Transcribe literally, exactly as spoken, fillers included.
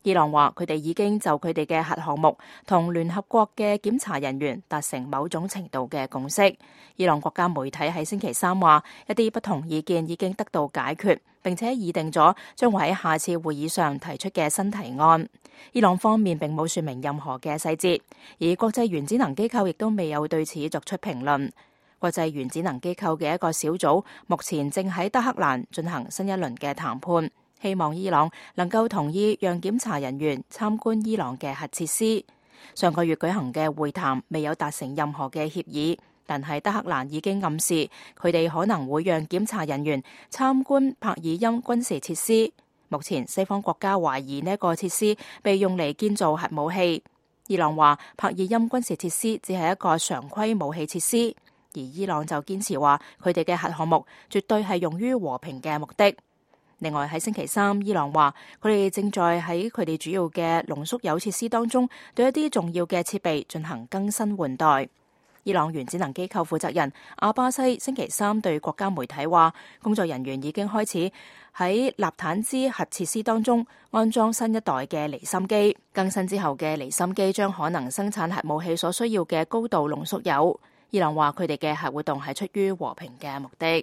伊朗話佢哋已經就佢哋嘅核項目同聯合國嘅檢查人員達成某種程度嘅共識。伊朗國家媒體喺星期三話，一啲不同意見已經得到解決，並且擬定咗將會喺下次會議上提出嘅新提案。伊朗方面並冇說明任何嘅細節，而國際原子能機構亦都未有對此作出評論。國際原子能機構嘅一個小組目前正喺德黑蘭進行新一輪嘅談判，希望伊朗能夠同意讓檢查人員參觀伊朗嘅核設施。上個月舉行嘅會談未有達成任何嘅協議，但係德黑蘭已經暗示佢哋可能會讓檢查人員參觀帕爾欽軍事設施。目前西方國家懷疑呢個設施被用嚟建造核武器。伊朗話帕爾欽軍事設施只係一個常規武器設施，而伊朗就堅持話佢哋嘅核項目絕對係用於和平嘅目的。另外喺星期三，伊朗話佢哋正在喺佢哋主要嘅濃縮鈾設施當中對一啲重要嘅設備進行更新換代。伊朗原子能機構負責人阿巴西星期三對國家媒體話，工作人員已經開始喺納坦茲核設施當中安裝新一代嘅離心機，更新之後嘅離心機將可能生產核武器所需要嘅高度濃縮鈾。伊朗話佢哋嘅核活動係出於和平嘅目的。